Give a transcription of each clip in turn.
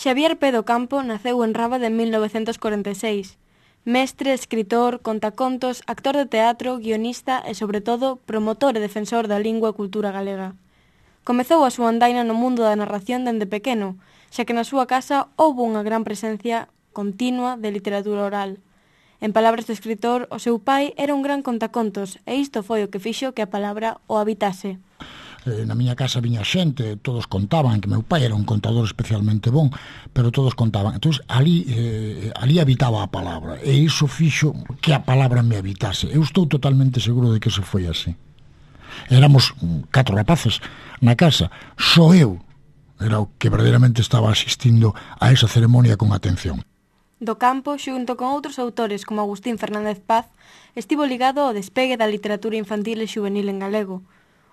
Xavier Pé do Campo naceu en Rábade en 1946. Mestre, escritor, contacontos, actor de teatro, guionista e, sobre todo, promotor e defensor da lingua e cultura galega. Comezou a súa andaina no mundo da narración dende pequeno, xa que na súa casa houbo unha gran presencia continua de literatura oral. En palabras do escritor, o seu pai era un gran contacontos e isto foi o que fixo que a palabra o habitase. Na miña casa viña xente, todos contaban que meu pai era un contador especialmente bon, pero todos contaban. Entón, ali habitaba a palabra, e iso fixo que a palabra me habitase. Eu estou totalmente seguro de que iso foi así. Éramos 4 rapaces na casa, só eu era o que verdadeiramente estaba asistindo a esa ceremonia con atención. Do Campo, xunto con outros autores como Agustín Fernández Paz, estivo ligado ao despegue da literatura infantil e xuvenil en galego.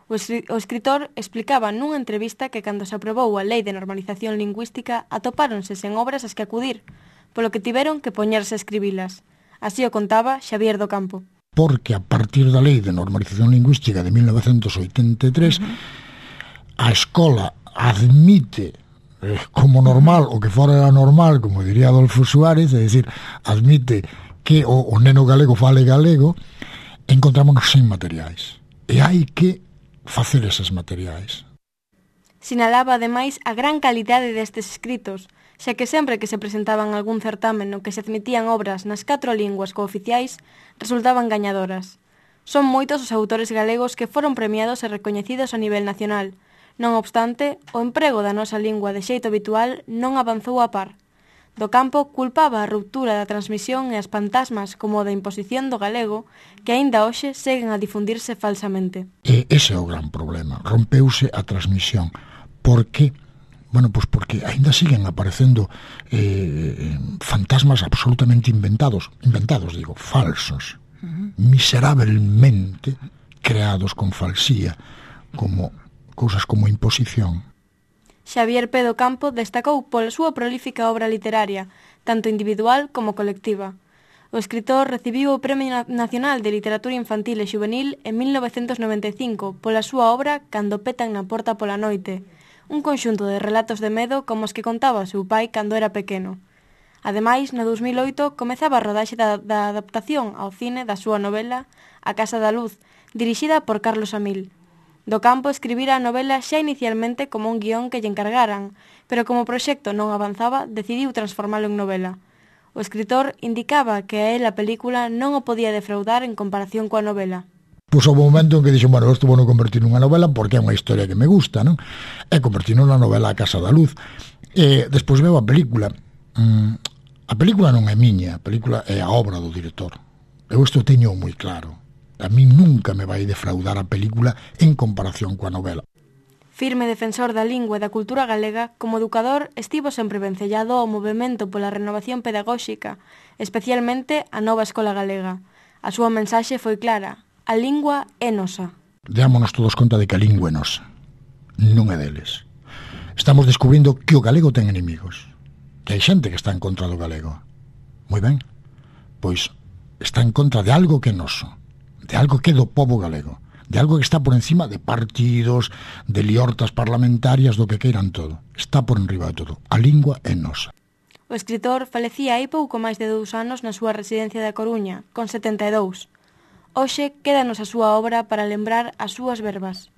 O escritor explicaba nunha entrevista que cando se aprobou a Lei de Normalización Lingüística atopáronse sen obras ás que acudir, polo que tiveron que poñerse a escribilas. Así o contaba Xavier do Campo. Porque a partir da Lei de Normalización Lingüística de 1983, a escola admite como normal, o que fora normal, como diría Adolfo Suárez, é dicir, admite que o neno galego fale galego, encontrámonos sen materiais. E hai que facer eses materiais. Sinalaba, ademais, a gran calidade destes escritos, xa que sempre que se presentaban algún certamen no que se admitían obras nas 4 linguas cooficiais, resultaban gañadoras. Son moitos os autores galegos que foron premiados e recoñecidos a nivel nacional. Non obstante, o emprego da nosa lingua de xeito habitual non avanzou a par. Do Campo culpaba a ruptura da transmisión e as fantasmas como da imposición do galego que aínda hoxe seguen a difundirse falsamente. E ese é o gran problema. Rompeuse a transmisión. Por que? Bueno, pois porque aínda siguen aparecendo fantasmas absolutamente inventados, falsos, miserablemente creados con falsía, como cousas como imposición. Xavier Pé do Campo destacou pola súa prolífica obra literaria, tanto individual como colectiva. O escritor recibiu o Premio Nacional de Literatura Infantil e Xuvenil en 1995 pola súa obra Cando petan na porta pola noite, un conxunto de relatos de medo como os que contaba o seu pai cando era pequeno. Ademais, no 2008 comezaba a rodaxe da adaptación ao cine da súa novela A Casa da Luz, dirixida por Carlos Amil. Do Campo escribira a novela xa inicialmente como un guión que lle encargaran, pero como o proxecto non avanzaba, decidiu transformalo en novela. O escritor indicaba que a él a película non o podía defraudar en comparación coa novela. Pois houve un momento en que dixo, bueno, isto vou non convertir nunha novela porque é unha historia que me gusta, non? E convertir nunha novela A Casa da Luz. E despois veo a película. A película non é miña, a película é a obra do director. Eu isto teño moi claro. A mí nunca me vai defraudar a película en comparación coa novela. Firme defensor da lingua e da cultura galega, como educador estivo sempre vencellado ao movemento pola renovación pedagóxica, especialmente a nova escola galega. A súa mensaxe foi clara: a lingua é nosa. Deámonos todos conta de que a lingua é nosa, non é deles. Estamos descubrindo que o galego ten enemigos, que hai xente que está en contra do galego. Moi ben, pois está en contra de algo que é noso, de algo que é do pobo galego, de algo que está por encima de partidos, de liortas parlamentarias, do que queiran todo. Está por enriba de todo. A lingua é nosa. O escritor falecía hai pouco máis de 2 anos na súa residencia da Coruña, con 72. Hoxe quédanos a súa obra para lembrar as súas verbas.